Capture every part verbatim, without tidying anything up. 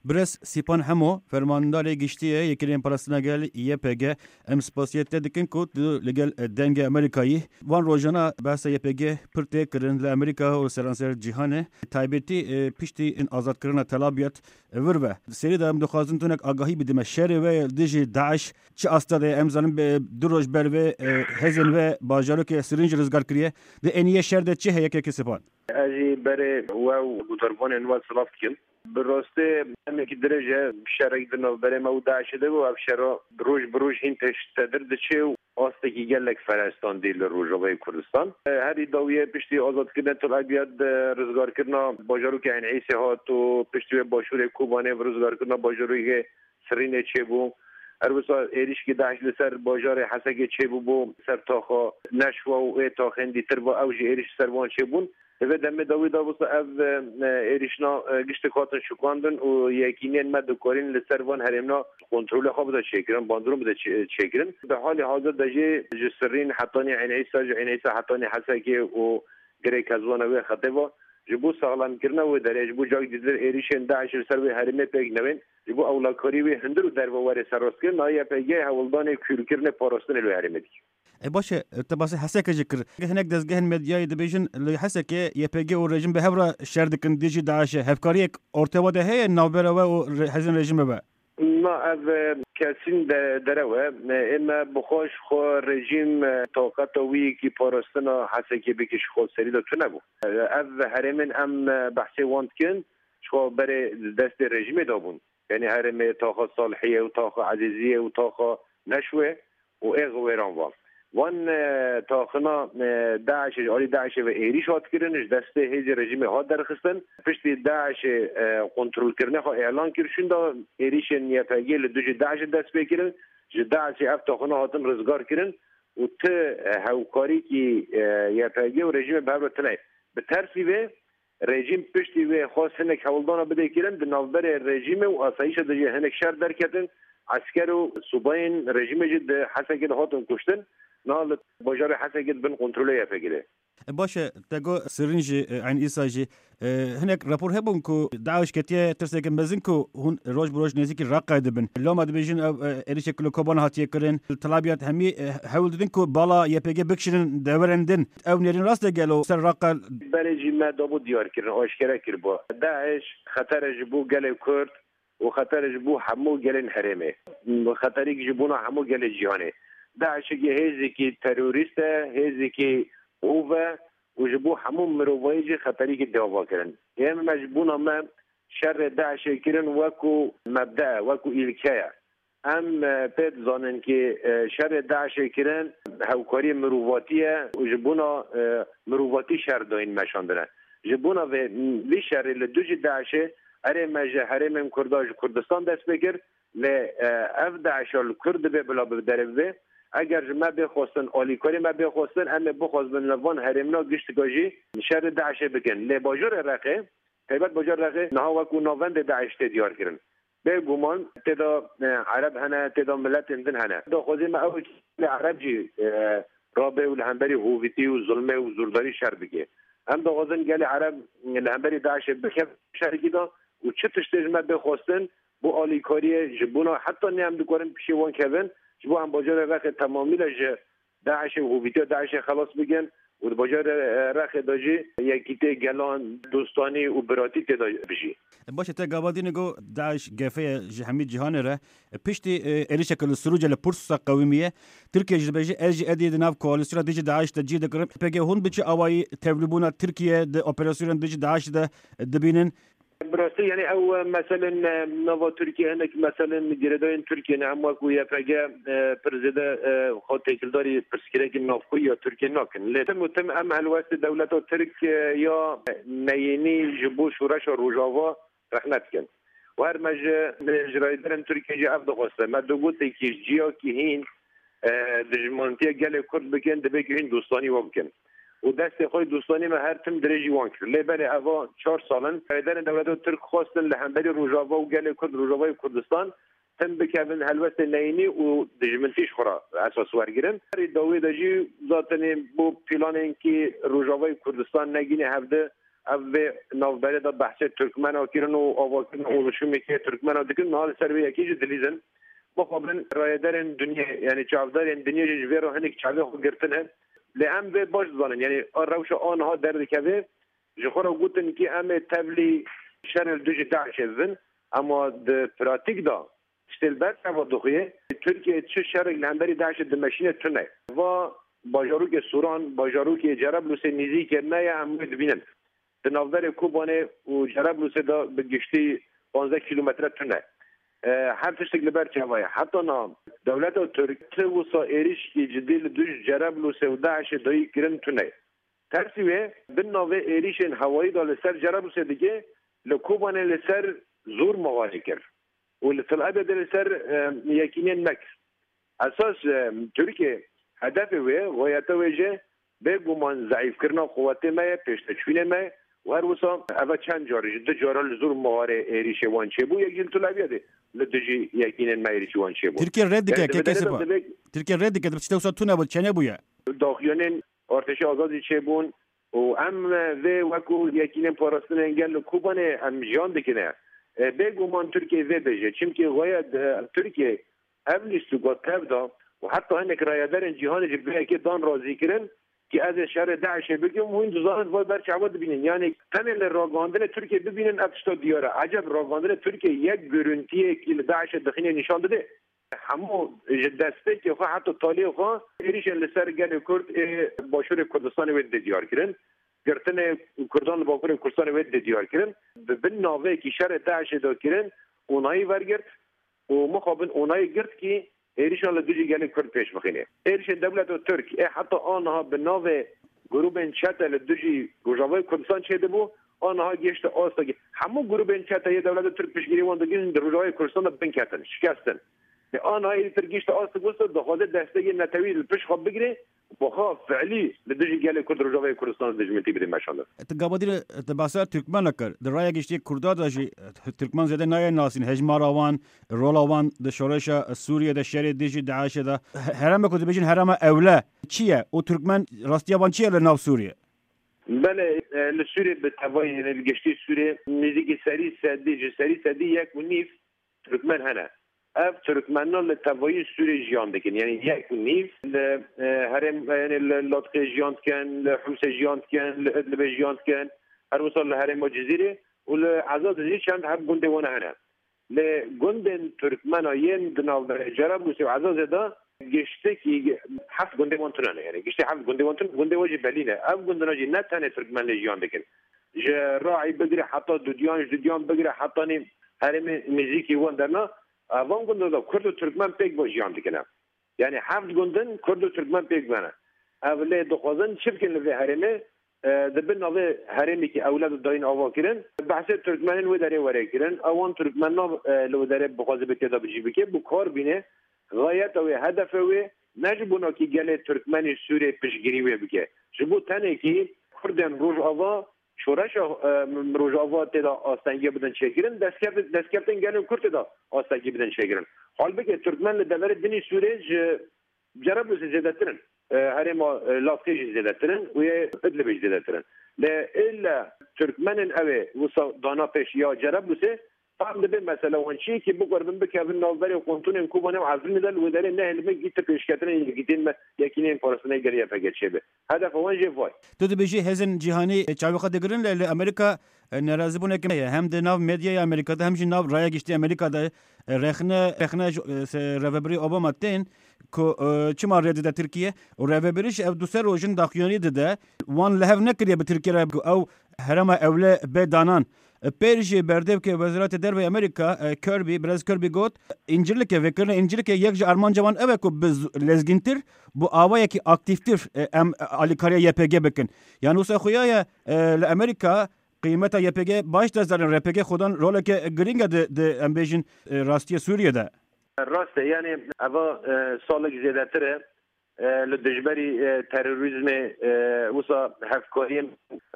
Birêz Sîpan Hemo, Fermandarê Giştî ye Yekîneyên Parastina Gel, Y P G. Em spasiyê te dikin ku tu li gel Dengê Amerîkayî. Van rojana behsa Y P G pir tê kirin li Amerîka û seranser cîhanê. Taybetî, e, piştî azadkirina Tel Abyad, e, vir ve. Serî de em dixwazin tunek agahî bidime. Şerê we dijî DAIŞ çi asta de ye? Em zanin, e, du roj ber vê, e, hêzên we bajarokê Sirîn jî rizgar kiriye. Di eniyê şer de çi heye, kekê Sîpan? Ez jî berê we û guhdarvanên we silav dikim. Bi rastî demekî dirêj e şerek di navberê me û DAIŞê de bû. Ev şera roj bi roj hîn pêştedir diçe û astekî gelek ferestandî li Rojavayê Kurdistan. Herî dawiyê piştî azadkirina Tel Abyad, rizgarkirina bajarokê Eyn Îsê hat û piştî wê başûrê Kobanê bi rizgarkirina bajarokê Sirînê çêbû. Her wisa êrîşkî DAIŞ li ser bajarê Hesekê çêbûbû, ser taxa Neşwa û ê taxên dîtir ve ew jî êrîş li ser wan çêbûn. Di vê demê dawî de wisa ev, e, êrîşna, e, giştek hatin şikandin û yekîniyên me dikarîn li ser van herêmna kontrolê xwe bide çêkirin, bandorûn bide çê-, çêkirin. Di halê hazir de jî ji Sirîn hetanî Eyn Îsa, ji Eyn Îsa hetanî Hesekê û girê kezwana wê xetê ve ji bo saxlemkirina wê derê, ji bo cak dîtir êrîşên DAIŞ li ser wê herêmê pêk newên, ji bo ewlekarî wê hundir û derve were serrastkirin, a Y P G hewldanê kûrkirinê parastinê li wê herêmê dike. E, baş e, te basê Hesekê jî kir. Hinek dezgehên medyayê dibêjin li Hesekê Y P G û rejîm bi hev re şer dikin dijî DAIŞê. Hevkariyek ortê we de heye navbera we û re-, hêzên rejîmê ve? Na, ev, e, kesîn de, derew e. E, ê me bi xwe ji xwe rejîm, e, taqeta wî yekî parastina Hesekê bike ji xwe serî de tune bû. E, ev herêmên em, e, behsê wan dikin, ji xwe berê destê rejîmê de bûn. Yanî herêmê taxa Salihiyê û taxa Ezîziyê û taxa Neşwê û ê xwêran van. Van, e, taxina, e, DAIŞê, ji alî DAIŞê ve êrîş hat kirin, ji destê hêzê rejîmê hat derxistin. Piştî DAIŞê, e, kontrolkirinê xwe îlan kir, şûnda êrîşên Y P G li dijî DAIŞê dest pê kirin. Ji DAIŞê ev taxina hatin rizgar kirin û ti, e, hewkarîkî, e, Y P G û rejîmê bi hev re tune ye. Bi tersî vê, rejîm piştî wê xwest hinek hewldana bide kirin, di navberê rejîmê û asayîşê de jî hinek şer derketin, esker û subayên rejîmê jî di Hesekê de hatin kuştin, niha li bajarê Hesekê di bin kontrolê Y P G de. E, baş e, te got Sirîn jî, e, Eyn Îsa jî, e, hinek rapor hebûn ku DAIŞ ketiye tirseke mezin ku hûn roj bi roj nêzîkî Reqayê dibin. Loma dibêjin ev, e, êrîşek li Kobanê hatiye kirin. Li Tel Abyad hemî, e, hewl didin ku bala Y P G bikişînin deverên din. Ew nêrîn rast e gelo ser Reqa? Berê jî me dabû diyar kirin, aşkere kiribû. DAIŞ xetere ji bo gelê Kurd û xetere ji bo hemû gelên herêmê. Xeterîk ji bona hemû gelê cîhanê. DAIŞekî hêzekî terorîst e, hêzekî hov e û ji bo hemû mirovahî jî xeterîkî dê ava kirin. Ê me ji bona me şerê DAIŞê kirin wekû mebde ye, wekû îlke ye. Em, e, pê dizanin kî, e, şerê DAIŞê kirin hewkariyê mirovatî ye û ji bona, e, mirovatî şer dayîn meşandine. Ji bona vê, vî şerê li dijî DAIŞê erê me ji herêmên Kurda ji Kurdistan dest pê kir, lê, e, ev DAIŞa li Kurd dibe bila bi derê bibe. Eger ji me bê xwestin, alîkarî me bê xwestin, em ê bixwazin li van herêmna giştika jî şerê DAIŞê bikin. Lê bajarê Reqê, taybet bajarê Reqê niha wekû navendê DAIŞ tê diyar kirin. Bêguman tê de, e, Ereb hene, tê de miletên din hene. Daxwazê me ew e gelê Ereb jî, e, rabe û li hemberî hovîtî û zulmê û zordarî şer bike. Em daxwazin gelê Ereb li hemberî DAIŞê bikevin şerikî de û çi tiştê ji me bê xwestin bo alîkariyê ji bona heta ne em dikarin pişê wan kevin, ji bo em bajarê Rexê temamî de ji DAIŞê û hovîtiya DAIŞê xelas bikin û di bajarê, e, Rexê de jî yekîtiyê gelan, dostanî û biratî tê de bijî. Baş e, te gava dînê got DAIŞ gefê ye ji hemî cîhanê re. Piştî, e, êrişeke li Sirûcê li Pirsûsa qewimiye, Tirkiye jî dibêje, ez jî êdî di nav koalîsyona dijî DAIŞ de cî digirim. Pêkê hûn bi çi awayî tevlîbûna Tirkiye di operasyonên dijî DAIŞ de dibînin? Bi rastî, yanî ew, e, meselên, e, nava Tirkiye, hinek meselên girêdayên Tirkiye ne, em wekû Y P G, e, pir zêde, e, xwe têkildarî pirsgirêkên navxweyî ya Tirkiye nakin. Lê tim û tim em helwestê dewleta Tirk, e, ya neyînî ji bo şoreşa Rojava rexne dikin. Û her me ji, ji rayberên Tirkiye jî ev dixweste. Me du gotekî ji ciyakî hîn, e, dijmantiya gelê Kurd bikin, divê ku hîn dostanî wan bikin. Û destê xwe yê dostanî me her tim dirêjî wan kir. Lê belê eva çar sal in, rayberên dewleta Tirk xwestin li hemberî Rojava û gelê Kurd, Rojavayê Kurdistan, tim bikevin helwestê neyînî û dijmintî ji xwe re esas wergirin. Herî dawî de jî zatenê bo planên kî Rojavayê Kurdistan negîne hevdi, Ev vê navberê de behsê Tirkmena kirin û avakirina oluşumekê Tirkmena dikin, niha li ser vê yekê jî dilîzin. Mixabin rayedarên dinyê, yanî çavdarên dinyê jî ji vê re hinek çavê xwe girtine. Lê em vê baş dizanin, yanî a rewşa aniha derdikeve, ji xwe re gotin ki em ê tevlî şerê li dijî DAIŞê bibin, ema di pratîk de tiştê li ber çava dixuye, Tirkiye çi şerek li hemberî DAIŞê dimeşîne tune. Va bajarokê Sûran, bajarokê Cerablusê nîzîkê me ye, em wê dibînin. Di navberê Kobanê û Cerablusê de bi giştî panzdeh kîlometre tune. E, her tiştek li ber çava ye. Heta niha dewleta Tirk ti wisa êrişkî cidî li dij Cerablusê û DAIŞê dayî kirin tune. Tersî wê, bin navê êrişên hewayî de li ser Cerablusê dike, li Kobanê li ser Zûr Mixarê kir û li Til Ebedê li ser, e, yekînên me kir. Esas, e, Tirkiye hedefê wê, xweyeta wê jî bêguman zeîfkirina quwetê me ye, pêşteçûnê me ye û her wisa eve çend car, ji du cara li Zûr Mixarê êrişê wan çêbû, yek jî li Til Ebedê li dijî yekînên me êrişî wan çêbû. Tirkiye red dike, Yanî di vê derê de kekesiba. Divê Tirkiye red dike, dibê tiştê wisa tune bû, çênebûye. Daxuyanên Artêşa Azadî çêbûn û em, e, vê wekû yekînên parastinên gel li Kobanê em jiyan dikine. E, bêguman Tirkiye vê bêje. Çimkî xweye, e, Tirkiye ev lîstika tev da û heta hinek rayedarên cîhanê jî bi vê yekê dan razî kirin ki ez ê şerê DAIŞê bikim û hûn dizanin vay ber çawa dibînin. Yanî tenê li ragihandinê Tirkiye bibînin ev tişta diyar e. Eceb ragihandinê Tirkiye yek gurintiyekî li DAIŞê dixîne nîşan dide? Hemû ji destpêkê xwe heta taliyê xwe êrîşên li ser gelê Kurd ê Başûrê Kurdistanê wê didê diyar kirin. Girtinê Kurdan li Bakurê Kurdistanê wê didê diyar kirin. Bi bin naveyekî şerê DAIŞê de kirin, onayî wergirt û mixabin onayî girt kî êrîşan li dijî gelê Kurd pêş bixîne. Êrîşên dewleta Tirk ê heta aniha bi navê grûbên çete li dijî Rojavayê Kurdistan çêdibû, aniha gihişte astekî. Hemû grûbên çete yê dewleta Tirk piştgirî wan dikin di Rojavayê Kurdistan de binketin, şikestin. Lê aniha êdî Tirk gihişte astek wisa dixwaze destekê netewî li pişt xwe bigire, bi xwe fiilî li dijî gelê Kurd Rojavayê Kurdistan dijmintî bide meşandin. Tu gava dî re, tu behsa Tirkmena kir. Di raya giştî Kurda de jî, eh, Tirkmen zêde nayê nasîn. Hejmara wan, rola wan di şoreşa Sûriyê de, şerê dijî DAIŞê de. He-, herêma ku dibêjin herêma ewle çi ye? Û Tirkmen rastiya wan çi ye li nav Sûriyê? Belê, e, li Sûriyê bi tevayî, yanî li giştî Sûriyê nêzîkî serî sedî, ji serî sedî yek û nîv Tirkmen hene. Ev Tirkmenan li tevayî Sûriyê jiyan dikin. Yanî yek û nîv li, e, herêm, yanî li Latqê jiyan dikin, li Hûmsê jiyan dikin, li Idlibê jiyan dikin. Her wisa li herêma Cizîrê û li Ezazê jî çend heb gundê wan hene. Lê gundên Tirkmena yên di navberê Cerablusê û Ezazê de giştekî heft gundê wan tune ne. Yanî giştî heft gundê wan tune, gundê wan jî belî ne. Ev gundina jî ne tenê Tirkmen lê jiyan dikin. Ji Raî bigire heta Dudiyan, ji Dudiyan bigire hetanî herêmê nêzîkî wan derna, van gundin de Kurd û Tirkmen pêk ve jiyan dikine. Yanî heft gundin Kurd û Tirkmen pêk ve ne. Ev lê dixwazin çi bikin li vê herêmê? E, di bin navê herêmekî ewle de dayîn ava kirin. Behsê Tirkmenên wê derê were kirin. Ewan Tirkmenan, e, li wê derê bixwaze bi têda bicî bike, bi kar bîne. Xayeta wê, hedefe wê ne ji bo nakî gelê Tirkmenê Sûrê piştgirî wê bike. Ji bo tenekî Kurdên Rojava şoreşa, e, Rojava tê de astengî bidin çêkirin, destkev-, destkeftin gelên Kurd tê de astengî bidin çêkirin. Halbike Tirkmen li deverê dinî Sûrê ji Cerablusê zêdetir in. E, herêma, e, Laskê jî zêdetir in û yê Idlibê jî zêdetir in. Lê ille Tirkmenên ew ê wisa dana pêş ya Cerablusê, tam dibe mesela wan çi ye ki bikaribin bikevin navberê kontûnên Kobanê û Efrînê de li wê derê nehêlibin gît pêşketinên yekîtên me, yekînên parastinê gelê Y P G çêbe. Hedefa wan jê vay. Tu dibêjî hêzên cîhanî çavê xwe digirin, lê li Amerîka, e, nerazîbûneke me ye. Hem di nav medyaya Amerîka de hem jî nav raya giştî Amerîka de, e, rexne, rexne ji, e, se-, rêvebirî Obama tên ku, e, çima rê dide Tirkiye û rêvebirî jî ev du sê rojin daxuyanî dide. Wan li hev nekiriye bi Tirkiye re ku ew herêma ewle bê danan. E, pêr jî berdevkê Wezareta Derve Amerîka, e, Kirby, Birêz Kirby got, Încîlikê, vêkirina Încîlikê yek ji armanca wan ew e ku bi z-, lezgîntir, bi awayekî aktîftir, e, em, e, alîkariya Y P G bikin. Yanî wisa xuya ye, e, li Amerîka qîmeta Y P G baş dest dane, Y P G xwedan roleke girîng e di, di, em bêjin, e, rastiyê Sûriyê de. Rast e, yanî eva, e, salek zêdetir e, e, li dijberî, e, terorîzmê, e, wisa hevkariyên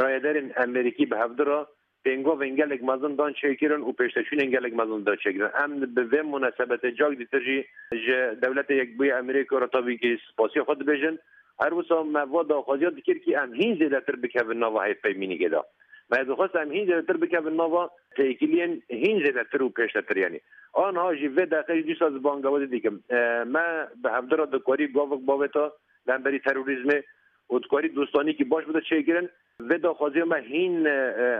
rayedarên Amerîkî bi hevdu re pêngovên gelek mezin dan çêkirin û pêşteçûnên gelek mezin dan çêkirin. Em bi vê munasebetê cak dîtir jî ji Dewletê Yekbûyî Amerîka re tabî kî spasiya xwe dibêjin. Her wisa me va daxwaziya dikir kî em hîn zêdetir bikevin nava hevpeymînîkê de. Me dixwest em hîn zêdetir bikevin nava têkiliyên hîn zêdetir û pêştetir, yanî. Anha jî vê deqe jî dîsa ez bangewazî dikim. E, me bi hevdira dikarî gavik bavêta li hemberî terorîzmê û dikarî dostanîkî baş bide çêkirin. Vê daxwaziya me hîn, e,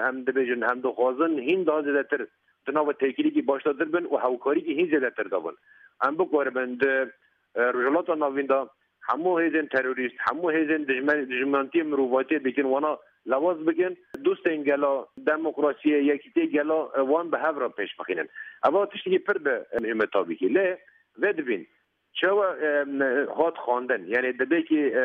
em dibêjin, em dixwazin hîn daha zêdetir di nava têkilîkî başdatir bin û hewkarîkî hîn zêdetir de bin. Em bikaribin di, e, Rojhilata Navîn de hemû hêzên terorîst, hemû hêzên dijmen-, dijmentiyê mirovatiyê dikin, wana lewaz bikin. Dostên gela, demokrasiyê, yekîtiyê gela, e, wan bi hev re pêş bixînin. Eva tiştekî pir bi, e, muhîm e tabî kî. Lê vê dibîn, çawa, e, hat xwendin? Yanî dibê kî, e,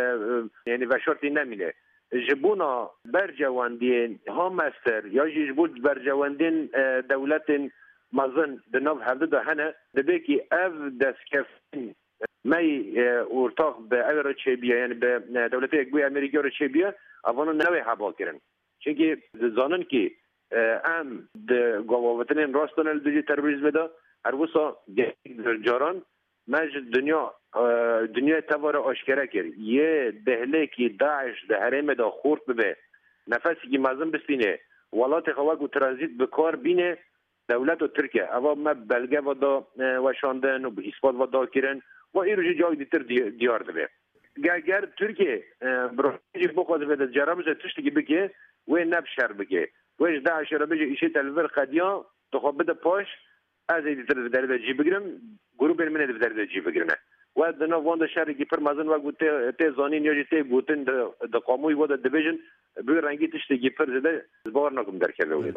e, yanî veşartî nemîne. Ji bona bercewendiyên ha mestir ya jî ji bo bercewendiyên, e, dewletên mezin di nav hevdu de hene, dibê kî ev destkeftin me yî, e, ortax bi ew re çêbiye, yanî bi, e, Dewletê Yekbûyî Amerîka re çêbiye, evana newê heba kirin. Çimkî dizanin kî, e, em di gavavitinên rast de ne li dijî terorîzmê de, her wisa gelek caran me ji dinya, e, dinyayê teva re aşkere kir. Yê dehlêkî DAIŞ di herêmê de xurt bibe, nefesekî mezin bistîne, welatê xwe wekû tranzît bi kar bîne, dewleta Tirk e. Eva me belge ve da, e, weşandin û bi îspat ve da kirin. Ve îro jî cawek dîtir di-, diyar dibe. Ge-, ger Tirkiye, e, bi rastî jî bixwaze vê de cerabûze tiştekî bike, wê ne bi şer bike. Wê ji DAIŞê re bêje, îşê te li vir qediya, tu xwe bide paş, ez ê dîtir di vê derê de cî bigirim, grûpên min ê di vê derê de cî bigirine. We di nav wan de şerekî pir mezin wek ku tê, tê zanîn ya jî tê gotin di, di qamûyî we de dibêjin, bi wî rengî tiştekî pir zêde ez bawer nakim derkeve wê de.